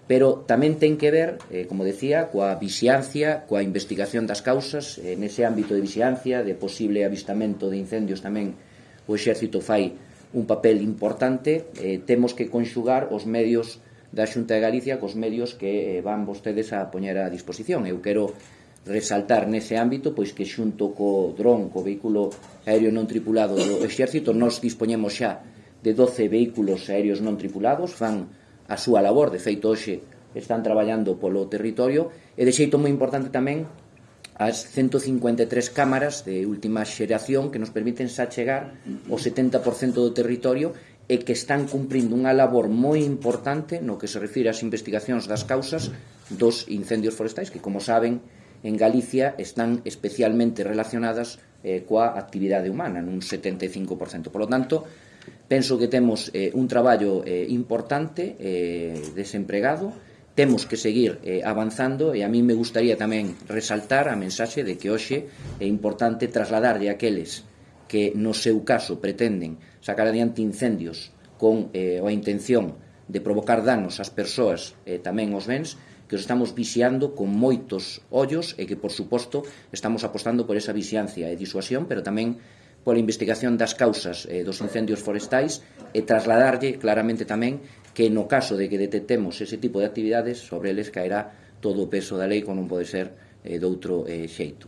pero tamén ten que ver, como decía, coa vixiancia, coa investigación das causas. Nese ámbito de vixiancia, de posible avistamento de incendios, tamén o Exército fai un papel importante. Temos que conxugar os medios da Xunta de Galicia cos medios que van vostedes a poñer a disposición. Eu quero resaltar nese ámbito pois que xunto co dron, co vehículo aéreo non tripulado do Exército, nos dispoñemos xa de 12 vehículos aéreos non tripulados, fan a súa labor. De feito, hoxe están traballando polo territorio, e de xeito moi importante tamén as 153 cámaras de última xeración que nos permiten xa chegar ao 70% do territorio e que están cumprindo unha labor moi importante no que se refire ás investigacións das causas dos incendios forestais, que, como saben, en Galicia están especialmente relacionadas coa actividade humana, nun 75%. Por lo tanto, penso que temos un traballo importante desempregado, temos que seguir avanzando, e a mí me gustaría tamén resaltar a mensaxe de que hoxe é importante trasladarlle a aqueles que no seu caso pretenden sacar adiante incendios con a intención de provocar danos ás persoas e tamén aos bens, que os estamos vixiando con moitos ollos e que, por suposto, estamos apostando por esa vixiancia e disuasión, pero tamén pola investigación das causas dos incendios forestais, e trasladarlle claramente tamén que no caso de que detectemos ese tipo de actividades, sobre eles caerá todo o peso da lei, como non pode ser doutro xeito.